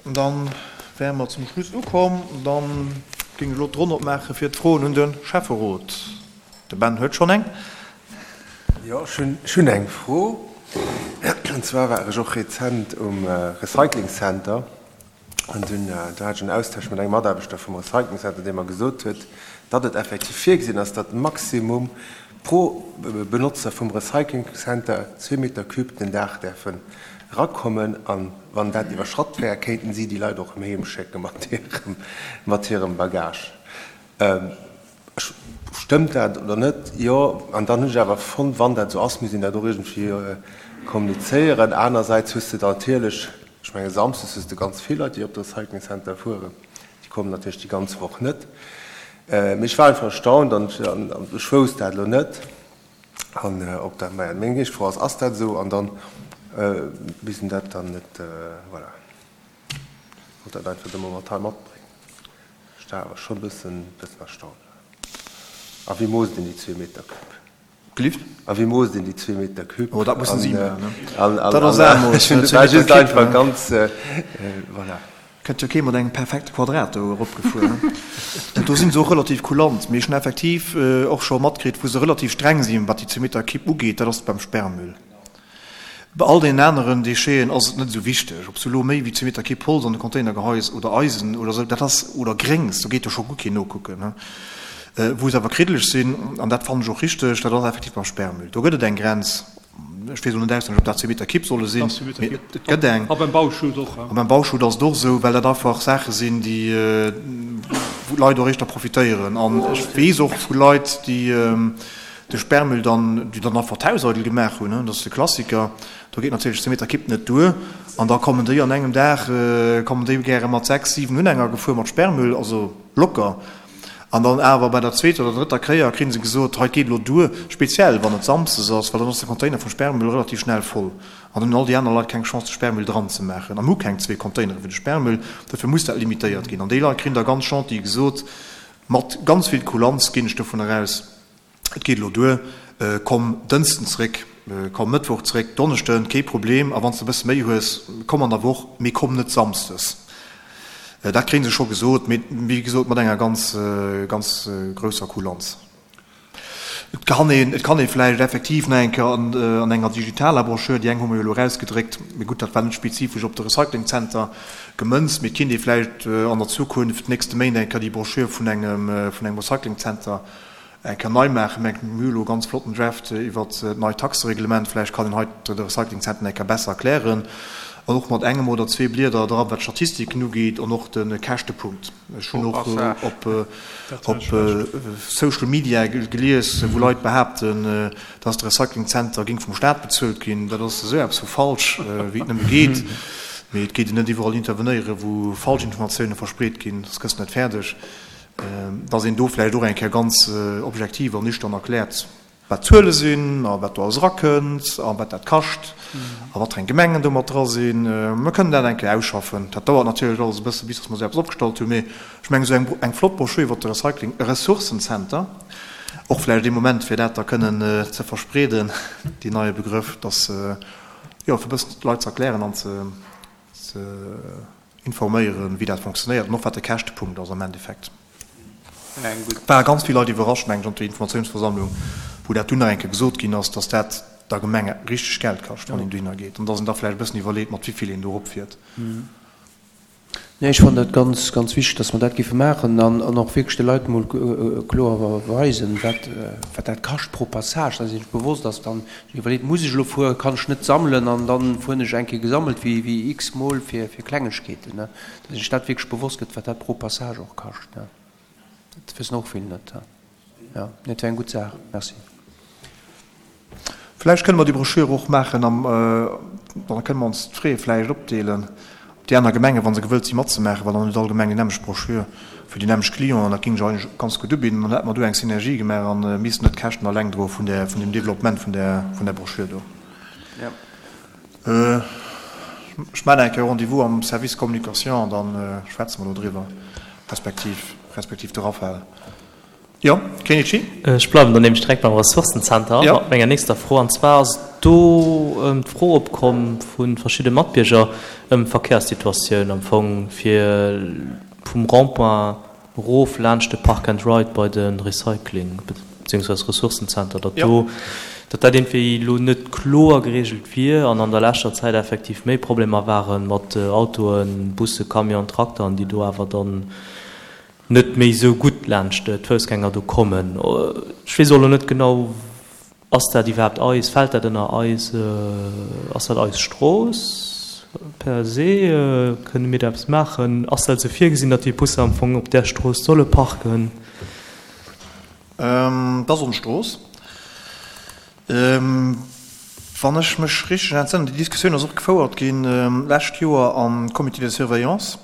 Dann wäre mer zum Schluss ukomm. Dann géing ech elo d'Ronn opmaache fir d'Froen un de Schäfferot. De Ben huet schonn eng. Jo, ech hunn eng Fro. An zwar war ech och rezent um Recycling Center an dunn do hat ech en Austausch mat engem Mataarbechter vum Recycling Center, dee mer gesot huet, datt et effektiv virgesinn ass, datt maximum pro Benotzer vum Recycling Center zwee Meter Cube den Dag däerfen erakommen. An wann dat iwwerschratt wär, kéinten si déi Leit och erëm heem schécke mat hirem, mat hirem Bagage. Stëmmt dat oder net? Jo. An dann hunn ech awer fonnt, wann dat esou ass, misst een dat och iergendwéi kommunizéieren. Anersäits hues de da natierlech, ech menge samsdes hues de ganz vill Leit, déi op de Recycling Center fueren, déi kommen natierlech déi ganz Woch net. Mee ech war einfach erstaunt an ech wousst dat elo net. An ob dat, maja, meng éischt Fro ass, ass dat esou? An dann misst een dat dann net, voilà, wollt dat einfach de Moment hei matbréngen. Ech war awer schonn e bëssen, bëssen erstaunt. A wéi moosst een déi zwee Meter Cube? Gelift? A wéi moosst een déi zwee Meter Cube? Oh, dat mussen si maachen, ne? Dat ass aarmooss, ne? Zwee Meter Cube, einfach ganz, voilà. Kënnt jo kee mat engem perfekte Quadrat do eropgefuer, ne? Do sinn se och relativ kulant. Mee ech hunn effektiv och scho matkritt, wou se relativ streng sinn, wat déi zwee Meter Kipp ugeet, dat ass beim Sperrmüll. Bei all deenen aneren Décheten ass et net esou wichteg, ob s du elo méi wéi zwee Meter Kipp Holz an de Container geheis oder Eisen oder esou, dat ass, oder Gréngs, do geet jo scho guer keen nokucken, ne? Wou se awer kriddeleg sinn, an dat fannen ech och richteg, dat ass effektiv beim Sperrmüll. Do gëtt et eng Grenz. Ech weess elo net auswenneg, ob dat zwee Meter Kipp solle sinn, mee et gëtt eng. A beim Bauschutt och. A beim Bauschutt ass et och esou, well dat einfach Saache sinn, déi, wou d'Leit och éischter profitéieren. An ech weess och vu Leit, déi de Sperrmüll dann, déi dann einfach d'Haus eidel gemaach hunn, dat ass de Klassiker, do geet natierlech zwee Meter Kipp net duer. An da kommen déi an engem Dag, kommen déi gäre mat sechs, siwen Unhänger gefuer mat Sperrmüll, also locker. An dann awer bei der zweeter oder drëtter Kéier kritt se gesot, hei, et geet elo duer, speziell wann et samsdes ass, well dann ass de Container vum Sperrmüll relativ schnell voll an dann hunn all déi aner Leit keng Chance de Sperrmüll dran ze maachen. A mir hu keng zwee Containere fir de Sperrmüll, dofir muss dat limitéiert ginn. An déi Leit kritt da ganz gentil gesot, mat ganz vill Kulanz ginn ech dovun eraus, Et geet elo duer, komm Dënsten zréck, komm Mëttwoch zréck, Donneschden, kee Problem, a wann s de e bësse méi hues, komm an der Woch, mee komm net Samsdes. Dat kréie se scho gesot, mee wéi gesot mat enger ganz, ganz grousser Kulanz. Et kann een, et kann ee vläicht effektiv nach eng Kéier an, an enger digitaler Broschür, déi eng hu mer jo elo erausgedréckt, mee gutt, dat war net spezifesch op de Recyclingzenter gemënzt, mee et kinnt ee vläicht an der Zukunft, d'nächste Méint eng Kéier déi Broschür vun engem, vun engem Recyclingzenter Eng Kéier nei maachen. Mir hu elo e ganz flotten Draft iwwert d'neit Taxereglement. Vläicht kann een hei de Recyclingzentren eng Kéier besser erklären. An och mat engem oder zwee Blieder dra wat d'Statistiken ugeet an och de Käschtepunkt. Ech hunn och op Social Media gelies, wou Leit behaapten, dass de Recyclingzenter géing vum Staat bezuelt ginn. Dat ass esou eppes vu falsch, wéi et nëmme geet. Mee et geet een net iwwerall intervenéieren, wou falsch Informatioune verspreet ginn. Soss gëss de net fäerdeg. dass een do vläicht och eng Kéier ganz objektiv an nüchtern erkläert, wat d'Zuele sinn a wat do alles erakënnt a wat dat kascht a wat fir eng Gemengen do mat dra sinn. Mir kënnen dat eng Kéier ausschaffen. Dat dauert natierlech alles e bësse bis dass mer esou eppes opgestallt hunn, mee ech mengen esou eng eng flott Broschür iwwert de Recycling, e Ressourcencenter, och vläicht ee Moment fir dat da kënnen ze verspreeden, deen neie Begrëff, dass, jo, fir e bëssen d'Leit ze erklären an ze ze informéieren, wéi dat fonctionnéiert an och wat de Käschtepunkt ass am Endeffekt. Ware ganz vill Leit iwwerrascht, mengen ech, op der Informatiounsversammlung, wou dat dunn nach eng Kéier gesot ginn ass, dass dat der Gemeng richteg Geld kascht, wann een dohinner geet, an dass een da vläicht e bëssen iwwerleet, mat wéi vill een do eropfiert. Nee, ech fannen dat ganz, ganz wichteg, dass mer dat géife maachen an och wierklech de Leit emol kloer weisen, wat, wat dat kascht pro Passage, dass ee sech bewosst ass dann, Iwwerleet, muss ech elo fueren, kann ech net sammelen an dann fueren ech eng Kéier gesammelt wéi wéi x-mol fir fir Klengegkeeten, ne, dass een sech dat wierklech bewosst gëtt, wat dat pro Passage och kascht, ne. Dat wëssen och vill net, jo. Nee, et wär eng gutt Saach. Merci. Vläicht kënne mer déi Broschür och maachen am, da kënne mer ons d'Frais vläicht opdeelen. Déi aner Gemengen, wa se gewëllt si matzemaachen, well dann huet all Gemeng déi nämmlecht Broschür fir déi nämmlecht Clienten, dat géing sech eigentlech ganz gutt ubidden. Dann hätte mer do eng Synergie gemaach a missten net d'Käschten alleng droe vun där, vun deem Développement vun där, vun där Broschür do. Ech maachen eng Kéier e Rendez-vous am Service Communication an da schwätze mer do driwwer, respektiv, respektiv de Raphaël. Jo, Kenichi? Ech bleiwen dann nämlech direkt beim Ressourcenzenter mat menger nächster Fro. An zwar ass do d'Fro opkomm vu verschidde Matbierger ëm d'Verkehrssituatioun am Fong fir vum Rond-point erof laanscht de Park and Ride bei de Recycling beziehungsweise Ressourcenzenter, datt do, datt dat iergendwéi elo net kloer geregelt wier an an der leschter Zäit effektiv méi Problemer ware mat Autoen, Busse, Camionen, Trakteren, déi do awer dann net méi esou gutt laanscht d'Foussgänger do kommen. Ech weess och elo net genau, ass dat iwwerhaapt eis, fält dat ënner eis, ass dat eis Strooss per se, kënne mir do eppes maachen, ass dat esou virgesinn, datt déi Busser am Fong op där Strooss solle parken? Dat ass ons Strooss. Wann ech mech richteg entsënnen, déi Diskussioun ass och gefouert ginn lescht Joer am Comité de surveillance.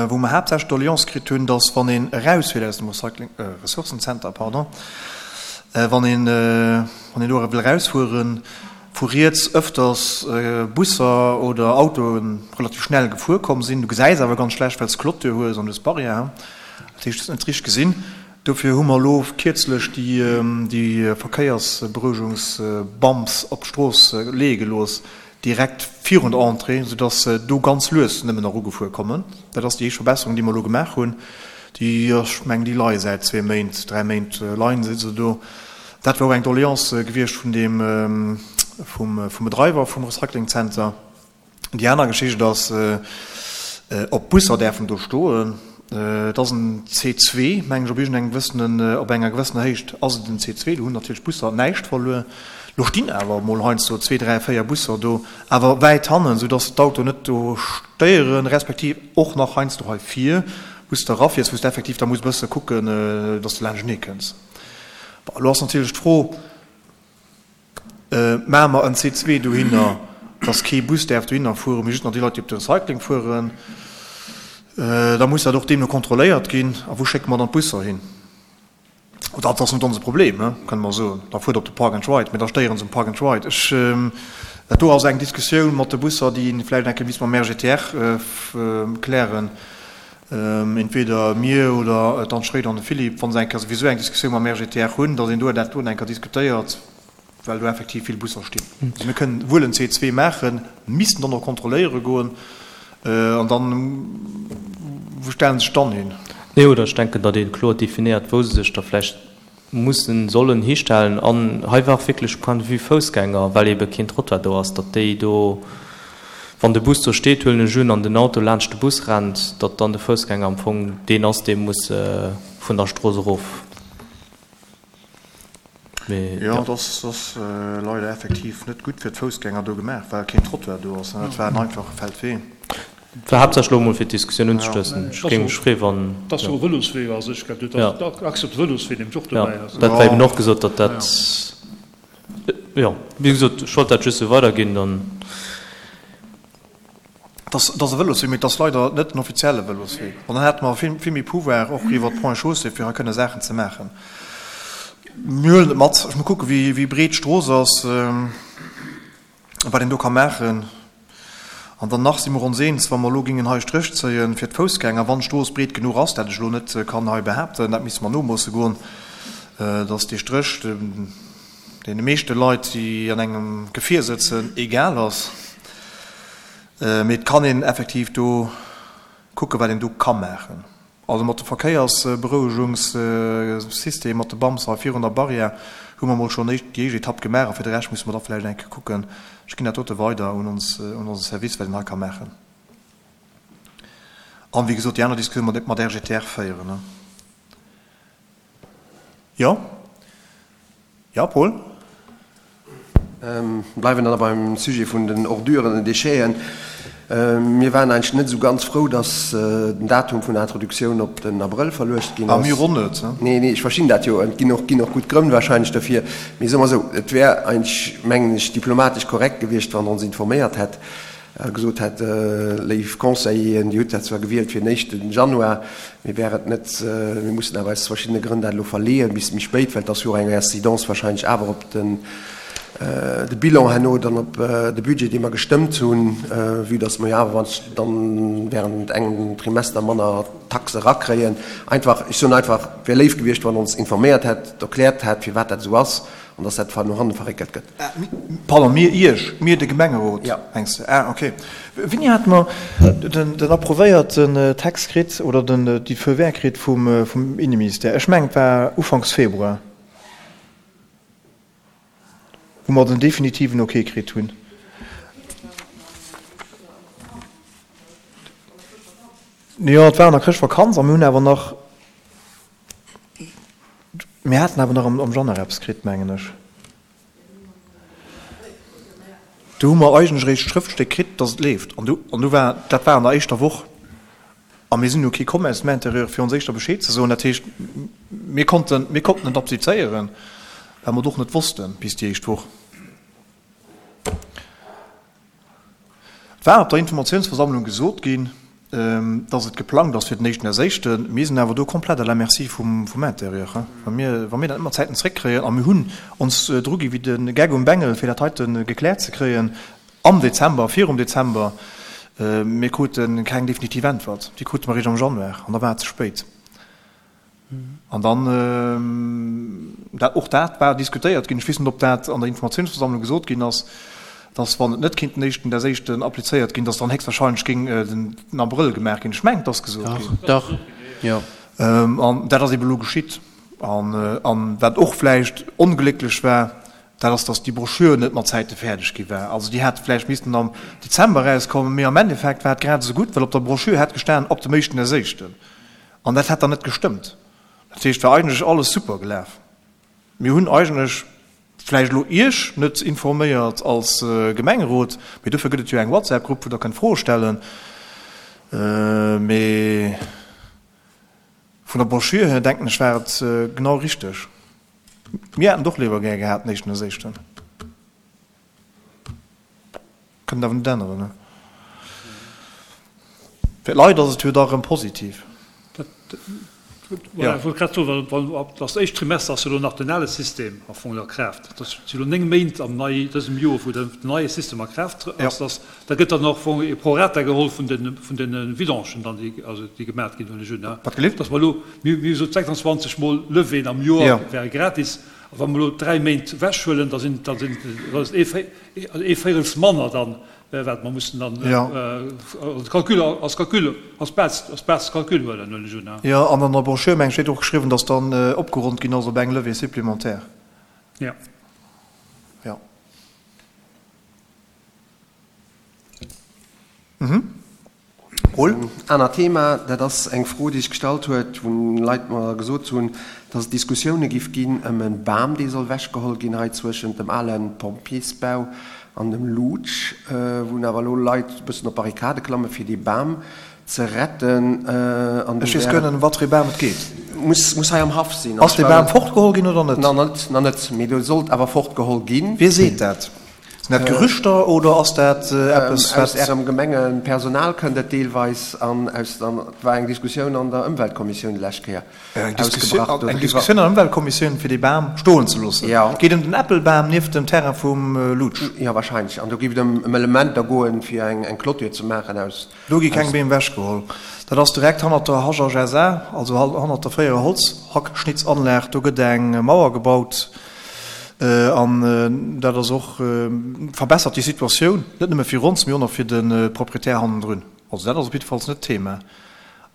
wou mer haaptsächlech d'Doleance kritt hunn, dass wann een erausfiert aus dem Recycling, Ressourcenzenter, pardon, wann een, wann een do wëll erausfueren, vu riets ëfters Busser oder Autoe relativ schnell gefuer komm sinn. Du gesäis awer ganz schlecht, well s de Clôture hues an du hues Barrièren. Dat heescht, du hues net richteg gesinn. Dofir hu mer elo kierzlech déi, déi Verkéiersberouegungsbumps op d'Strooss leeë gelooss, direkt virun der Entrée, soudass se do ganz lues nëmmen erugefuer kommen. Dat ass déi éischt Verbesserung, déi mer elo gemaach hunn. Déi, ech mengen, déi leie säit zwee Méint, dräi Méint leien se do. Dat war och eng Doleance gewiescht vun deem, vum, vum Bedreiwer vum Recyclingzenter. Déi aner Geschicht ass, ob d'Busser däerfen do stoen. Et ass en C2, mengen ech, op iergendengem gewëssenen, op enger gewëssener Héicht ass et en C2. Do hunn natierlech d'Busser näischt verluer. Lo stinn awer emol heiansdo zwee, dräi, véier Busser do, awer wäit hannen, soudass d'Autoen net do stéieren, respektiv och nach heiansdo hei vir, wou s de erafiers, wou s de effektiv da muss e bësse kucken, dass de laanschtenee kënns. Bon, elo ass natierlech d'Fro, Maache mer en C2 dohinner, dass kee Bus däerf dohinner fueren, mee just nach déi Leit, déi op de Recycling fueren. Da muss dat och deemno kontrolléiert ginn. A wou schécke mer dann d'Busser hin? Dat ass net onse Problem, kënne mer soen. Da fuert op de Park and Ride, mee da stéieren se um Park and Ride. Ech, dat do ass eng Diskussioun mat de Busser, déi een vläicht eng Kéier misst mam RGTR klären. Entweder mir oder d'Anne Schroeder an de Philippe, wa se eng Kéier souwisou eng Diskussioun mam RGTR hunn, datt een do dat do eng Kéier diskutéiert, well do effektiv vill Busser stinn. Also mir kënnen wuel en C2 maachen, missten dann och kontrolléiere goen an dann, wou stellen se sech dann hin? Nee, oder ech denken, datt ee kloer definéiert, wou se sech da vläicht mussen, sollen histellen. An hei war och wierklech Point de vue Foussgänger, well ebe keen Trottoir do ass, datt déi do, wann de Bus do steet, huelen ech un, an den Auto laanscht de Bus rennt, datt dann de Foussgänger am Fong deen ass, dee muss vun der Strooss erof. Mee jo. Jo, dat ass leider effektiv net gutt fir d'Foussgänger do gemaach, well keen Trottoir do ass. Dat war en einfache Feldwee. Et war haaptsächlech elo emol fir d'Diskussioun unzestoussen. Ech géing mech freeë wann. Et ass jo e Vëloswee a sech, gell? Do ass d'Achse op de Vëloswee nämlech och dobäi. Jo, dat war eben och gesot, datt dat, jo, wéi gesot, ech wollt dat just esou weiderginn, dann. Et ass e Vëloswee, mee et ass leider net en offizielle Vëloswee. An dann hätte mer vill, vill méi Pouvoir och iwwer d'Ponts et Chaussées, fir hei kënne Saachen ze maachen. Mir huelen et mat. Ech muss kucken, wéi, wéi breet d'Strooss ass. Wat een do ka maachen. An dann nach si mer ons eens, wa mer elo géingen hei e Stréch zéie fir d'Foussgänger, wann d'Strooss breet genuch ass, dat ech elo net kann hei behaapten, dat misste mer nomoosse goen, dass dee Stréch deene meeschte Leit, déi an engem Gefier sëtzen, egal ass. Mee et kann een effektiv do kucken, wat een do ka maachen. Also mat de Verkéiersberouegungssystem, mat de Bumps hei virun der Barrière hu mer mol schonn déi éischt Etapp gemaach a fir de Rescht musse mer da vläicht eng Kéier kucken. Ech ginn dat dote weider un ons, un onse Service, wat een hei ka maachen. An, wéi gesot, déi aner Diskussioun mat mat RGTR féieren. Jo? Jo, Paul? Bleiwen dann beim Sujet vun den Orduren, den Décheten. Mir waren eigentlech net esou ganz frou, dass den Datum vun der Introduktioun op den Abrëll verluecht ginn ass. A mir och net. Nee, nee, ech verstinn dat jo. Et ginn och, ginn och gutt Grënn wahrscheinlech derfir. Mee soe mer esou, et wär eigentlech, mengen ech, diplomatesch korrekt gewiescht, wann Der ons informéiert hätt, a gesot hätt, Léif Conseilleren, Dir hutt dat zwar gewielt fir den éischten Januar, mee wär et net, mir mussen awer aus verschiddene Grënn dat elo verleeën bis méi spéit, well et ass jo och eng Incidence wahrscheinlech awer op den. de Bilan herno dann op de Budget, dee mer gestëmmt hunn, vue dass mer jo awer dann während engem Trimester manner Taxe erakréien. Einfach, ech soen einfach, et wär léif gewiescht, wann Der ons informéiert hätt, erkläert hätt, firwat dat esou ass an dass dat no hanne verréckelt gëtt. Pardon, mir Iech, mir de Gemengerot, mengs de? Ah, okay. Wéini hate mer den approvéierten Text kritt oder den, déi Feu vert kritt vum, vum Inneministère? Ech mengen, et war ufanks Februar, wou mer den definitiven Ok kritt hunn. Jo, et war an der Chrëschtvakanz a mir hunn awer nach, Mir haten awer nach am Januar eppes kritt, mengen ech. Do hu mer eigentlech eréischt d'Schrëftstéck kritt, dass et leeft. An du, an du war, dat war an der éischter Woch. A mir sinn jo kee komm aus dem Intérieur, fir ons éischter Bescheed ze soen. Dat heescht, mir konnten, mir konnten et applizéieren, well mer et och net wossten bis déi éischt Woch. Et war op der Informatiounsversammlung gesot ginn, dass et geplangt ass fir den éischten Erséischten. Mir sinn awer do komplett à la merci vum Intérieur. Wa mir, wa mir dat net mat Zäiten zréckkréien, a mir hunn ons dru gi wéi de Geck um Bengel, fir dat heite gekläert ze kréien am Dezember, virum Dezember, mir krute keng definitiv Äntwert. Déi krute mer eréischt am Januar an da war et ze spéit. An dann, dat, och dat war diskutéiert ginn, ech weess net, ob dat an der Informatiounsversammlung gesot ginn ass, dass, wann et net kéint den éischten des éischten applizéiert ginn, dass dann héchstwahrscheinlech géing den Abrëll gemaach ginn. Ech mengen, et ass gesot ginn. Dach, dach, jo. An dat ass eeben elo geschitt. An, an wat och vläicht onglécklech war, dat ass, dass déi Broschür net mat Zäite fäerdeg gi war. Also déi hätt vläicht missten am Dezember erauskommen, mee am Endeffekt war et grad esou gutt, well op der Broschür hätt gestan, ab dem éischten des éischten. An dat hätt dann net gestëmmt. Dat heescht, war eigentlech alles super gelaf. Mir hunn eigentlech vläicht elo Iech net informéiert als Gemengerot, mee dofir gëtt et jo eng WhatsApp-Grupp, wou Der kënnt Froe stellen. Mee vun der Broschür hier, denken ech, war et genau richteg. Mir hätten et och léiwer gär gehat den éischten des éischten. Kënnt awer net änneren, ne? Fir d'Leit ass et jo da rëm positiv. Voilà, ech wollt grad soen, well wann ab das éischt Trimester ass jo elo nach den ale System am Fong a Kraaft. Dat si elo 9 Méint am nei dësem Joer, wou den neie System a Kraaft ass. Dass da gëtt dann och am Fong e Prorata geholl vun den vun den Vidangen dann, déi also déi gemat ginn, huelen ech un, ne? Wat gelift? Dass mer elo, mir mir hu gesot 26 mol Levéen am Joer wäre gratis. A wa mer elo 3 Méint ewechhuelen, da sinn da sinn da ass et ee Ee Véirels manner dann, wat mer mussen dann als Calcul, als Calcul, als Base, als Base Calcul huelen, huelen ech un. Jo, an an der Brochure, meng ech, steet och geschriwwen, dass dann opgeronnt ginn ass op eng Levée supplémentaire. Jo. Jo. Mhm. Roll. Anert Thema, dat ass eng Fro, déi sech gestallt huet, wou Leit mer gesot hunn, dass et Diskussioune giff ginn ëm e Bam, dee soll wechgeholl ginn hei zwëschent dem ale Pompjeesbau an dem Luutsch, wou awer elo Leit e bëssen op d'Barrikade klamme fir dee Bam ze retten. An do Ech weess guer net, ëm wat fir ee Bam et geet. Muss, muss hei am Haff sinn. Ass dee Bam fortgeholl ginn oder net? Nach net, nach net, mee do sollt awer fortgeholl ginn. Wie seet dat? Sinn dat Gerüchter oder ass dat eppes, wat. Aus Ärem Gemengepersonal kënnt et deelweis an aus der, et war eng Diskussioun an der Ëmweltkommissioun déi lescht Kéier ausgebrach doriwwer. Eng Diskussioun an der Ëmweltkommissioun, fir dee Bam stoen ze loossen? Jo. Et geet ëm den Äppelbam nieft dem Terrain vum Lutsch. Jo, wahrscheinlech. An do géif et ëm Elementer goen, fir eng Clôture ze maachen aus. Do gi keng Beem wechgeholl. Dat ass direkt hannert der HHSA, also hannert der fréierer Holzhackschnitzanlag. Do gëtt eng Mauer gebaut an dat ass och, verbessert déi Situatioun, net nëmme fir ons, mee och nach fir de Proprietär hannendrun. Also dat ass op jiddefalls net d'Thema.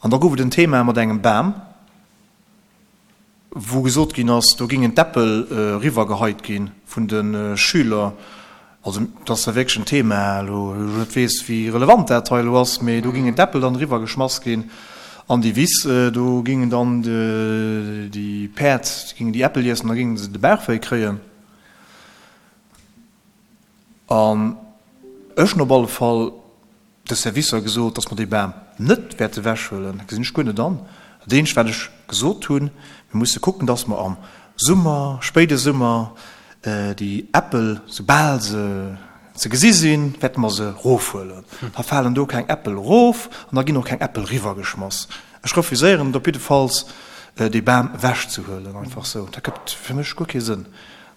An da gouf et en Thema mat engem Bam. wou gesot ginn ass, do gingen d'Äppel eriwwergeheit gi vun de Schüler. Also dat ass da wierklech en Thema elo, wou ech net weess, wéi relevant dat hei elo ass, mee do gingen d'Äppel dann eriwwergeschmass ginn an déi Wiss. Do gingen dann déi Päerd, déi gingen déi Äppel iessen, da gingen se de Bauchwéi kréien. An ech hunn op alle Fall de Servicer gesot, dass mer dee Bam net wäerte wechhuelen. Dat gesinn ech guer net an. Dat eenzegt, wat ech gesot hunn, Mir musse kucken, dass mer am Summer, spéide Summer, déi Äppel, soubal se ze gesi sinn, wäerte mer se erofhuelen. Da falen do keng Äppel erof an da ginn och keng Äppel eriwwergeschmass. Ech refuséieren et op jiddefalls, dee Bam ewechzehuelen, einfach esou. Dat gëtt fir mech guer kee Sënn.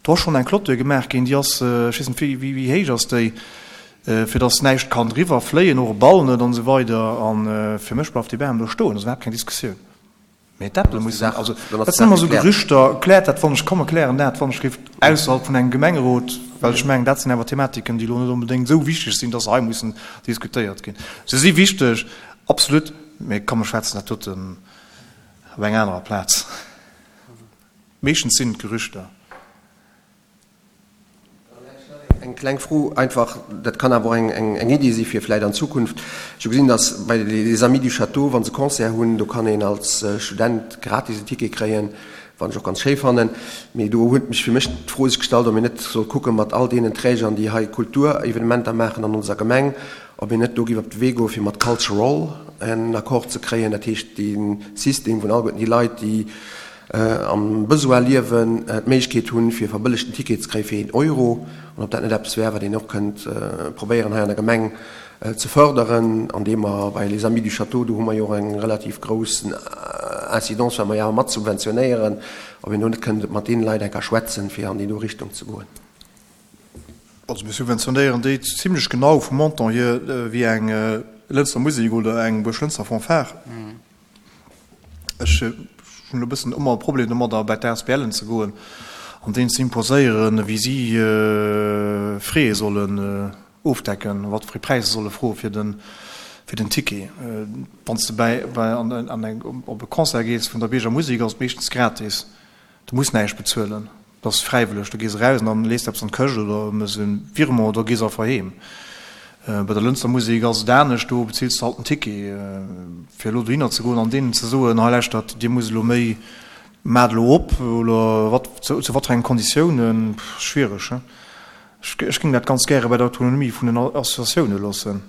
Do ass schonn eng Clôture gemaach ginn, déi ass, ech weess net, wéi, wéi héich ass déi, fir datt näischt kann driwwer fléien, och e Ball net an esou weider. A fir mech bleift dee Bam do stoen, dat ass iwwerhaapt keng Diskussioun. Mee d'Äppele mussen, also dat sinn ëmmer esou Gerüchter, kläert dat wann ech komme, klären dat wann ech géif ausserhalb vun engem Gemengerot, well ech mengen, dat sinn awer Thematiken, déi elo net onbedéngt esou wichteg sinn, datt se hei mussen diskutéiert ginn. Se si wichteg, absolut, mee komm, mir schwätzen dat doten op enger anerer Plaz. Meeschtens sinn et Gerüchter. Eng kleng Fro einfach, dat kann awer och eng Iddi si fir vläicht an Zukunft. Ech hu gesinn, datt bei Les Amis du Château, wa se Concert hunn, do kann een als Student gratis en Ticket kréien, wat ech och ganz schéi fannen. Mee do huet mech fir mech d'Fro sech gestallt, ob een net soll kucke mat all deenen Trägern, déi hei Kulturevenementer maachen an onser Gemeng, ob een net do géif op de Wee goe fir mat Cultural en Accord ze kréien, dat heescht dee System vun alleguerten déi Leit, déi am Besoin liewen, d'Méiglechkeet hunn, fir e verbëllegten Ticket ze kréie fir een Euro, an ob dat net eppes wär, wat een och kënnt probéieren hei an der Gemeng ze förderen, andeem mer bei Les Amis du Château, do hu mer jo och eng relativ grouss Incidence, well mer jo awer mat subventionéieren, ob een do net kënnt mat deene Leit eng Kéier schwätzen, fir an déi do Richtung ze goen. Also mir subventionéieren déi zimlech genau vum Montant hier wéi eng Lënster Musek oder eng Buerglënster Fanfare. Ech hunn elo e bëssen ëmmer e Problem domadder, bei d'ASBLen ze goen an deenen ze imposéieren, wéi si Frais sollen ofdecken, wat fir Präisser se solle froe fir den, fir den Ticket. Wann s de bei, bei an, an eng, op e Concert gees vun der Bierger Musek, ass et meeschtens gratis. Du muss näischt bezuelen. Dat ass fräiwëlleg. Du gees eraus an dann lees de eppes an d'Këscht oder mëss e Virement oder gees einfach heem. Bei der Lënster Musek ass et anescht, do bezills de halt den Ticket. Fir elo dohinner ze goen an deenen ze soen, hei lauschtert, dir musst elo méi, maacht elo op oder wat, zu wat fir engen Konditiounen, schwiereg, he? Ech géing dat ganz gäre bei der Autonomie vun den Associatioune loossen.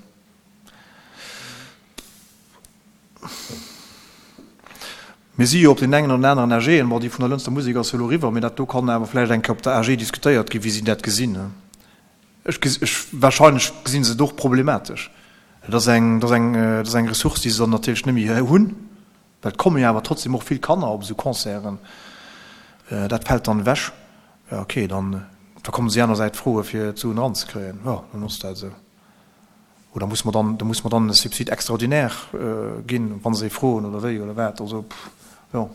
Mir si jo op deenen engen oder aneren AGen, bon, déi vun der Lënster Musek ass jo elo eriwwer, mee dat do kann awer vläicht eng Kéier op der AG diskutéiert ginn, wéi si dat gesinn. Ech gesi, ech, wahrscheinlech gesi se et och problematesch. Et ass eng, et ass eng, et ass eng Ressource, déi se dann natierlech net méi hunn, well et komme jo awer trotzdem och vill Kanner op esou Concerten. Dat fält dann ewech. Jo, okay, dann, da komme si anersäits froe fir d'Suen eranzekréien. Jo, dann ass dat esou. Oder muss mer dann, da muss mer dann e Subside extraordinaire ginn, wa se ee froen oder wéi oder wat? Also, jo,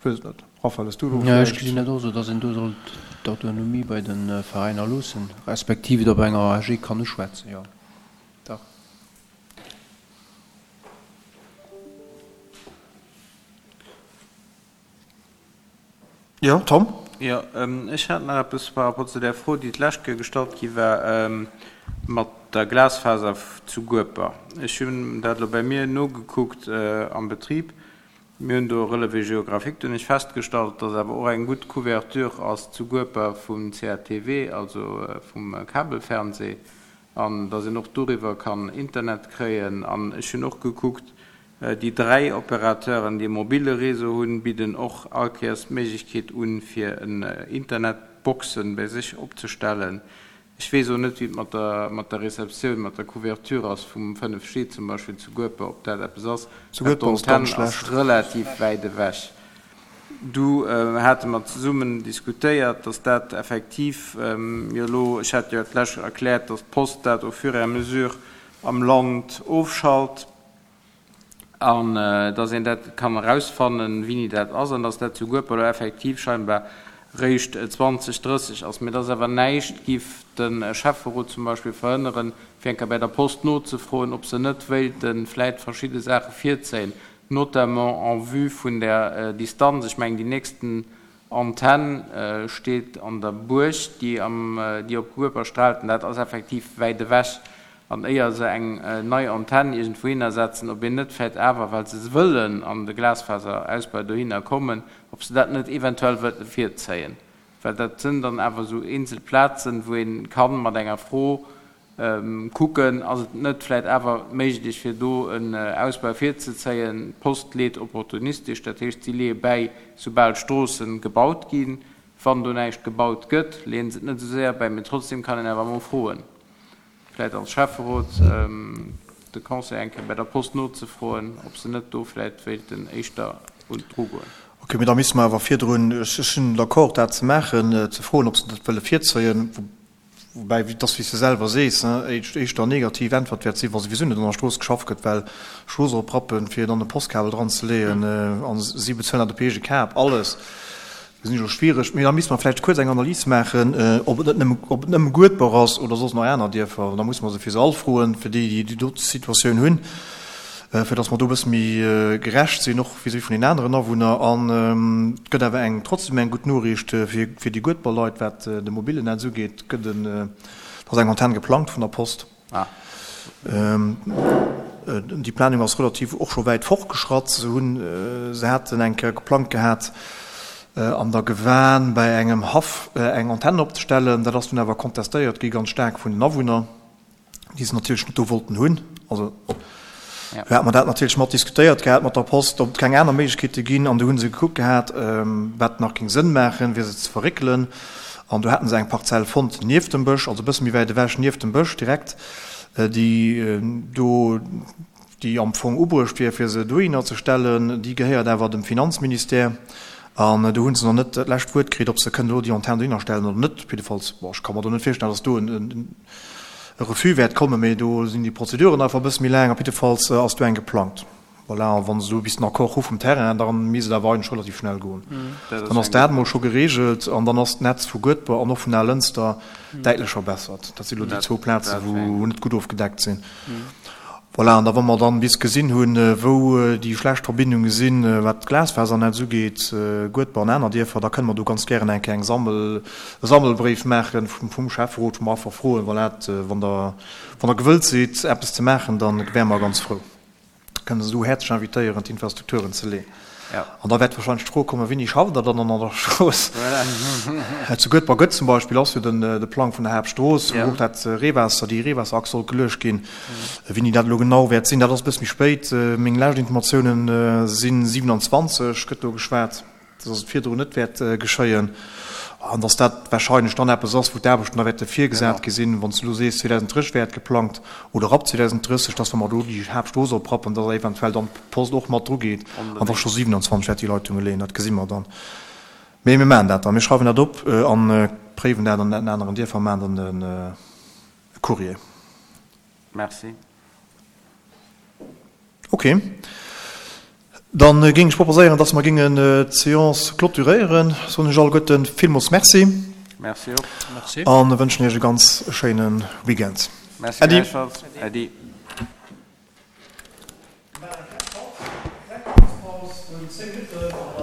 ech weess et net. Raphaël, hues du do vläicht. Ech gesinn dat och esou, datt een do sollt d'Autonomie bei de Veräiner loossen, respektiv et op enger AG kann uschwätzen, jo, dach. Jo, Tom? Jo, ech hat nach eppes par rapport zu där Fro, déi d'lescht Kéier gestallt gi war, mat der Glasfaser zu Gueper. Ech hunn dat elo bei mir nogekuckt am Betrib. Mir hunn do e Relevé géographique. Do hunn ech festgestallt, dass awer och eng gutt Couverture ass zu Gueper vum CATV, also vum Kabelfernseh, an dass een och doriwwer kann Internet kréien. An ech hunn och gekuckt, Déi 3 Opérateuren, déi e mobile Réseau hunn, bidden och all Kéiers d'Méiglechkeet un, fir en Internetboxen bei sech opzestellen. Ech weess och net, wéi et mat der mat der Receptioun, mat der Couverture ass vum 5G zum Beispill zu Gueper, ob dat eppes ass, Zu well Gueper ass ganz d'Antenn ass schlecht. relativ wäit ewech. Du hate mer zesummen diskutéiert, dass dat effektiv jo elo, ech hat jo d'lescht erkläert, dass d'Post dat au fur et à mesure am Land ofschalt, an dass een dat kann erausfannen, wéini dat ass, an dass dat zu Gueper elo effektiv scheinbar réischt 2030 ass, mä dass awer näischt giff de Schäfferot zum Beispill verhënneren, fir eng Kéier bäi der Post nozefroen, ob se net wéilte vläit verschidde Saache virzéien, notamment en vue vun där Distanz. Ech mengen, déi nächsten Antenn steet an der Buerg, déi am, déi op Gueper straalt, an dat ass effektiv wäit ewech. An éier se eng nei Antenn iergendwouhinner setzen, ob een net vläicht awer, well se wëllen an de Glasfaserausbau dohinner kommen, ob se dat net eventuell wëlle virzéien. Well dat sënn dann awer esou eenzel Plazen, wou ee kann mat enger Fro Kucken, ass et net vläit awer méiglech, fir do en Ausbau virzezéien? D'Post leet opportunistesch, dat heescht, si leeë bäi, soubal d'Stroosse gebaut ginn. Wann do näischt gebaut gëtt, leeën se et net esou séier bäi. Mee trotzdem kann een awer emol froen, vläit als Schäfferot de Conseil eng Kéier bei der Post nozefroen, ob se net do vläit wéilten éischter un d'Dru goen. Ok. Ok, mee da misste mer awer virdrun, ech sinn d'accord dat ze maachen, ze froen, ob se dat wëlle virzéien, woubäi et ass wéi s de selwer sees, éischter negativ Äntwert wäert sinn, wa souwisou net an der Strooss geschafft gëtt, well Strooss oprappen, fir dann e Postkabel dran ze leeën, a si bezuelen dat op eege Kap alles. Gesinn ech och schwiereg. Mee da misste mer vläicht kuerz eng Analys maachen, ob et net nëmme, ob et nëmme Guedber ass oder soss nach aner Dierfer. Da musse mer se fir se all froen, fir déi, déi déi dote Situatioun hunn, fir datt mer do e bësse méi gerecht sinn, och vis-à-vis vun den aneren Awunner. An et gëtt awer eng, trotzdem eng gutt Noriicht fir, fir déi Guedber Leit, wat de mobilen Netz ugeet, gëtt en, et ass eng Antenn geplangt vun der Post. Déi Planung ass relativ och scho wäit fortgeschratt. Se hunn, se haten eng Kéier geplangt gehat, an der Gewan bei engem Haff eng Antenne opzestellen. Dat ass dunn awer kontestéiert gi ganz staark vun den Awunner, déi se natierlech net do wollten hunn. Also do hate mer dat natierlech mat diskutéiert gehat mat der Post, ob et keng aner Méiglechkeete ginn. An du hu se gekuckt gehat, wat nach géing Sënn maachen, fir se ze verréckelen. An do haten se eng Parzell fonnt nieft dem Bësch, also e bësse méi wäit ewech, nieft dem Bësch direkt, déi do, déi am Fong ubruecht wier, fir se dohinner ze stellen. Déi gehéiert awer dem Finanzministère. An do hu se nach net dat lescht Wuert kritt, ob se kënnen elo déi Antenn dohinner stellen oder net. Op jiddefalls, bon, ech ka mer do net virstellen, datt do e Refus wäert kommen, mee do sinn déi Prozeduren einfach e bësse méi laang. Op jiddefalls ass do eng geplangt. Voilà, a wa se do bis den Accord hu vum Terrain, da misst et awer eigentlech relativ schnell goen. Dann ass dat emol scho geregelt an dann ass d'Netz vu Guedber an och vun Alënster däitlech verbessert. Dat si lo déi zwou Plazen, wou net gutt ofgedeckt sinn. Voilà, an da wa mer dann bis gesinn hunn, wou déi schlecht Verbindunge sinn, wat d'Glasfasernetz ugeet, Guedber an aner Dierfer, da kënne mer do ganz gären eng Kéier eng Sammel, e Sammelbréif maache vum Schäfferot, wou mer einfach froen, voilà, wann Der, wann Der gewëllt sidd, eppes ze maachen, da wäre mer ganz frou. Kënnen se do häerzlech invitéieren, d'Infrastrukturen ze leeën. An da wäert wahrscheinlech d'Fro kommen, Wéini schafft Der dann an der Strooss? Zu Guedber gëtt zum Beispill, ass jo den de Plang vun der Haaptstrooss, wou och dat Reewaasser, déi Reewaasserachs sollt geluecht ginn. Wéini dat elo genau wäert sinn, dat ass e bësse méi spéit. Meng lescht Informatiounen sinn 27, gëtt do geschwat. dass et virdrun net wäert geschéien an dass dat wahrscheinlech dann eppes ass, wou d'Aarbechten da wäerte virgesat gi sinn, wann s de elo sees, 2030 wär et geplangt oder ab 2030, dass wa mer do déi Haaptstrooss oprappen, dass eventuell dann d'Post och mat drugeet an da scho 27 wäert déi Leitunge leeën. Dat gesi mer dann. Mee mir maachen dat dann. Mir schreiwen dat op a préiwen dat an den aneren Dierfer a maachen dann e Courrier. Merci. Ok. Dann géing ech proposéieren, dass mer géingen d'Séance clôturéieren. Soen ech alleguerten villmools Merci. Merci och. Merci. A wënschen Iech e ganz schéine Weekend. Merci Äddi. gläichfalls. Äddi. Mir maachen eng kleng Paus, eng kleng Paus vun 10 Minutten.